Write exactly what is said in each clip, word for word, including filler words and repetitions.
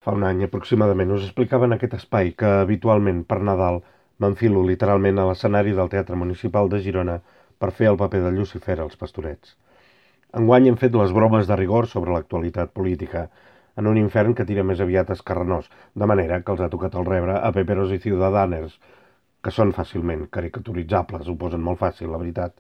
Fa un any aproximadament us explicava en aquest espai que habitualment per Nadal m'enfilo literalment a l'escenari del Teatre Municipal de Girona per fer el paper de Llucifer als Pastorets. Enguany hem fet les bromes de rigor sobre l'actualitat política en un infern que tira més aviat escarrenós, de manera que els ha tocat el rebre a peperos i ciudadaners, que són fàcilment caricaturitzables, ho posen molt fàcil, la veritat.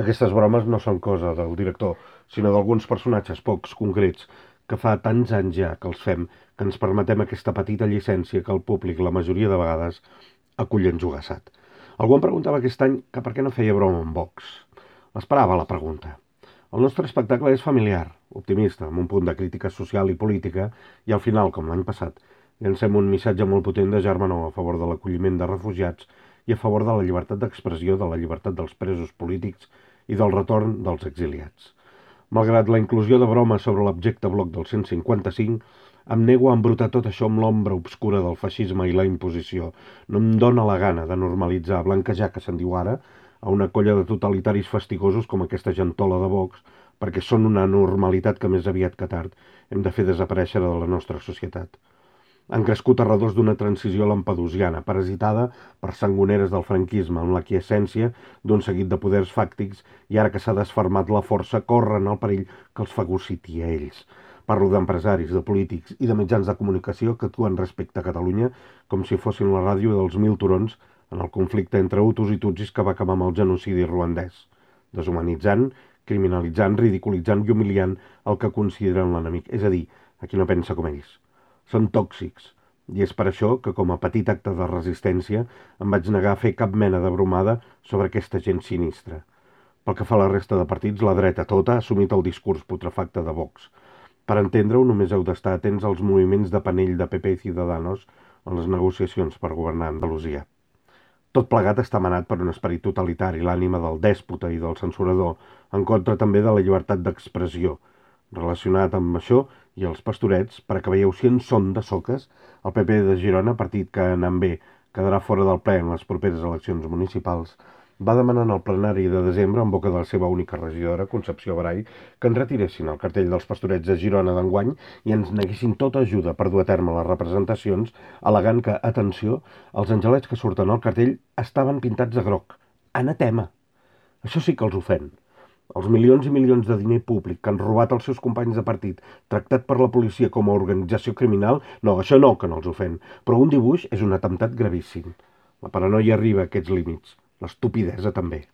Aquestes bromes no són cosa del director, sinó d'alguns personatges pocs concrets que fa tants anys ja que els fem que ens permetem aquesta petita llicència que el públic, la majoria de vegades, acull enjogassat. Algú em preguntava aquest any que per què no feia broma amb Vox. L'esperava la pregunta. El nostre espectacle és familiar, optimista, amb un punt de crítica social i política, i al final, com l'any passat, llancem un missatge molt potent de germanor a favor de l'acolliment de refugiats i a favor de la llibertat d'expressió, de la llibertat dels presos polítics i del retorn dels exiliats. Malgrat la inclusió de bromes sobre l'abjecte bloc del cent cinquanta-cinc, em nego a embrutar tot això amb l'ombra obscura del feixisme i la imposició. No em dóna la gana de normalitzar, blanquejar, que se'n diu ara, a una colla de totalitaris fastigosos com aquesta gentola de Vox, perquè són una normalitat que més aviat que tard hem de fer desaparèixer de la nostra societat. Han crescut arredors d'una transició lampedusiana, parasitada per sangoneres del franquisme, amb l'aquiescència d'un seguit de poders fàctics, i ara que s'ha desfermat la força, corren el perill que els fagociti a ells. Parlo d'empresaris, de polítics i de mitjans de comunicació que actuen respecte a Catalunya com si fossin la ràdio dels mil turons en el conflicte entre hutus i tutsis que va acabar amb el genocidi ruandès, deshumanitzant, criminalitzant, ridiculitzant i humiliant el que consideren l'enemic, és a dir, a qui no pensa com ells. Són tòxics, i és per això que com a petit acte de resistència em vaig negar a fer cap mena de bromada sobre aquesta gent sinistra. Pel que fa a la resta de partits, la dreta tota ha assumit el discurs putrefacte de Vox. Per entendre-ho, només heu d'estar atents als moviments de panell de P P i Ciudadanos en les negociacions per governar Andalusia. Tot plegat està manat per un esperit totalitari, l'ànima del dèspota i del censurador, en contra també de la llibertat d'expressió. Relacionat amb això i els Pastorets, per a que veieu si en són de soques, el P P de Girona, partit que anant bé quedarà fora del ple en les properes eleccions municipals, va demanar en el plenari de desembre, en boca de la seva única regidora, Concepció Barai, que en retiressin el cartell dels Pastorets de Girona d'enguany i ens neguessin tota ajuda per dur a terme les representacions, al·legant que, atenció, els angelets que surten al cartell estaven pintats de groc. Anatema! Això sí que els ofèn. Els milions i milions de diner públic que han robat els seus companys de partit, tractat per la policia com a organització criminal, no, això no que no els ofèn, però un dibuix és un atemptat gravíssim. La paranoia arriba a aquests límits, l'estupidesa també.